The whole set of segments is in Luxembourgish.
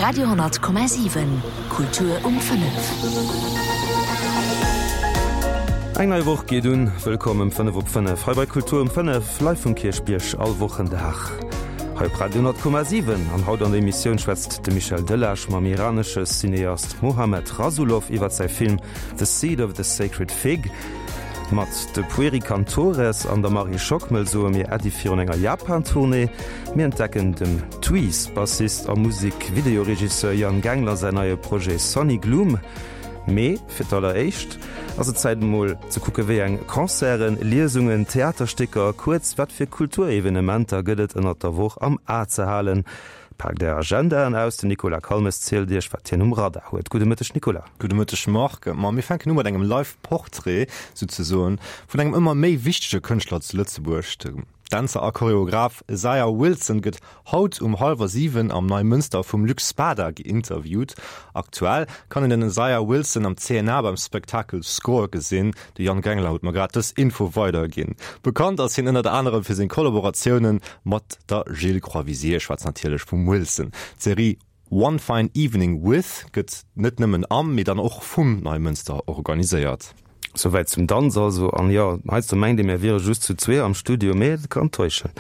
Radio,7 Kultur um 5. Eng nei Woch geet un. Wëllkomm ëm 5 op 5 hei bei Kultur um 5, live vum Kierchbierg all Wochendag hei op Radio 10,7. An haut an der Emissioun schwätzt de Michel Delage mam iranesche Cineast Mohammad Rasoulof iwwer säi Film The Seed of the Sacred Fig. Mat de Pueri Cantores an der Marie Schockmel soe mir Äddi virun enger Japan-Tournée. Mir entdecken dem Tweez-Bassist a Musek-Videoregisseur Yann Gengler säin neie Projet Sonny Gloom. Mee fir d'alleréischt ass et Zäit emol ze kucke wéi eng Concerten, Liesungen, Theaterstécker, kuerz wat fir Kulturevenementer gëtt et ënnert der Woch am A ze halen. Paakt är Agendaen aus, den Nicolas Calmes zielt iech wat hien um Radar huet. Gudde Mëtteg Nicolas. Gudde Mëtteg Marc. Ma mir fänken u mat engem Live Portrait souzesoen vun engem ëmmer méi wichtege Kënschtler zu Lëtzebuerg. De Dänzer a Choreograph Isaiah Wilson gëtt haut um hallwer 7 am Neimënster vum Luc Spada geinterviewt. Aktuell kann een den Isaiah Wilson am CNA beim Spektakel Score gesinn. De Yann Gengler huet mer grad dës Info weiderginn. Bekannt ass hien ënnert anerem fir seng Kollaboratioune mat der Jill Crovisier, ech schwätzen natierlech vum Wilson. D'Serie One Fine Evening With gëtt net nëmmen am, mee dann och vum Neimënster organiséiert. Souwäit zum Danz also. An jo, heiansdo mengt ee mir wiere just zu zwee am Studio, mee et kann täuschen.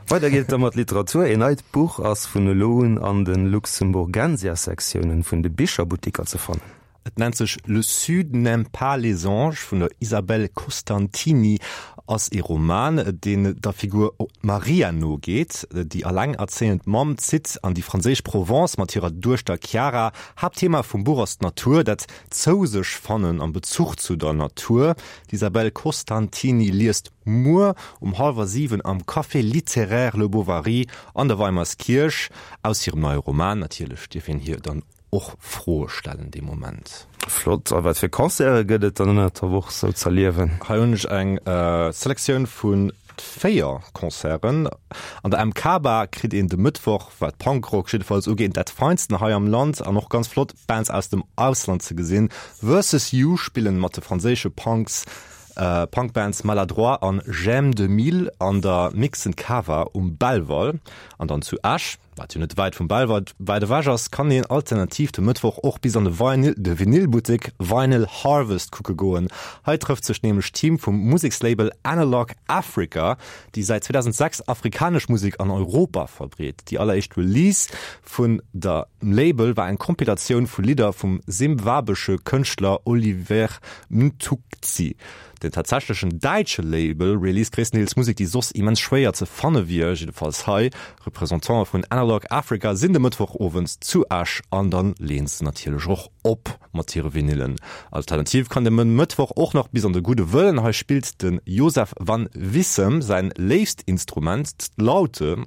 Weider geet et da mat Literatur. Een neit Buch ass vun elo un an de Luxemburgensia-Sektiounen vun de Bicherbuttiker ze fannen. Et nennt sech Le Sud n'aime pas les anges vun der Isabelle Costantini, ass ee Roman, deen der Figur Maria nogeet. Déi allengerzéiend Mamm zitt an déi franséisch Provence mat hirer Duechter Chiara. Haaptthema vum Buch ass d'Natur, dat Zou-sech-fannen am Bezuch zu der Natur. D'Isabelle Costantini liest muer um hallwer 7 am Café littéraire Le Bovary an der Weimerskierch aus hirem neie Roman. Natierlech dierf een hir dann och Froe stellen dee Moment. Flott. A wat fir Concerte gëtt et dann ënnert der Woch sou z'erliewen? Hei hunn ech eng Selektioun vu 4 Concerten. An der MK-Bar kritt een de Mëttwoch, wat Punkrock jiddefalls ugeet, dat Feinsten hei am Land an och ganz flott Bands aus dem Ausland ze gesinn. Versus You spillen mat de franséische Punks Punkbands Maladroit an J'aime 2000 an der Mixen Cava um Belval an dann zu Esch. Wat jo net wäit vum Belval wäit ewech ass, kann een alternativ de Mëttwoch och bis an de Vinyl, de Vinylbuttek Vinyl Harvest kucke goen. Hei trëfft sech nämlech d'Team vum Musekslabel Analog Africa, déi säit 2006 afrikanesch Musek an Europa verbreet. Déi alleréischt Release vun der Label war eng Kompilatioun vu Lidder vum simbwabesche Kënschtler Oliver Mtukudzi. Den tatsächlechen däitsche Label released gréisstendeels Musek, déi soss immens schwéier ze fanne wier, jiddefalls hei. Representantë vun Analog Africa sinn de Mëttwochowend zu Esch an dann leeën se natierlech och op mat hire Vinylen. Alternativ kann de Mëttwoch och nach bis an de Gudde Wëllen. Hei spillt de Josef van Wissem säin léifst Instrument, d'Laute.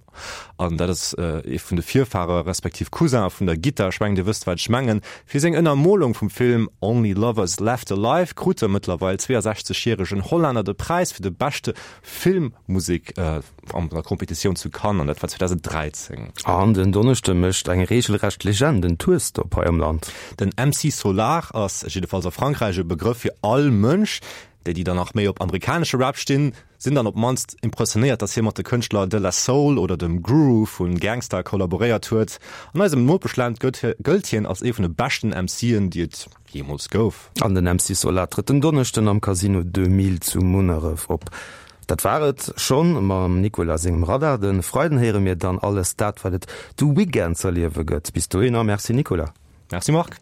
An dat ass ee vun de Virfahre respektiv Cousin vun der Gittar. Ech mengen, Dir wësst, wat ech mengen. Fir seng Ënnermolung vum Film Only Lovers Left Alive krut de mëttlerweil 62 järegen Hollänner de Präis fir de beschte Filmmusek an der Competitioun zu Cannes, an dat war 2013. An den Donneschde mécht eng reegelrecht Legend en Tourstop hei am Land. Den MC Solaar ass, jiddefalls a Frankräich, e Begrëff fir all Mënsch. Déi, déi dann nach méi op amerikanesche Rap stinn, sinn dann op d'mannst impressionéiert, dass hie mat de Kënschtler De La Soul oder dem Guru vu Gang Starr kollaboréiert huet. An eisem Nopeschland gëllt hien als ee vun de beschten MCen, déi et jeemools gouf. An den MC Solaar trëtt den Donneschden am Casino 2000 zu Munneref op. Dat war et schonn mam Nicolas sengem Radar. De Freiden héiere mir dann alles dat, wat et de Weekend z'erliewe gëtt. Bis dohinner, Merci Nicolas. Merci Marc.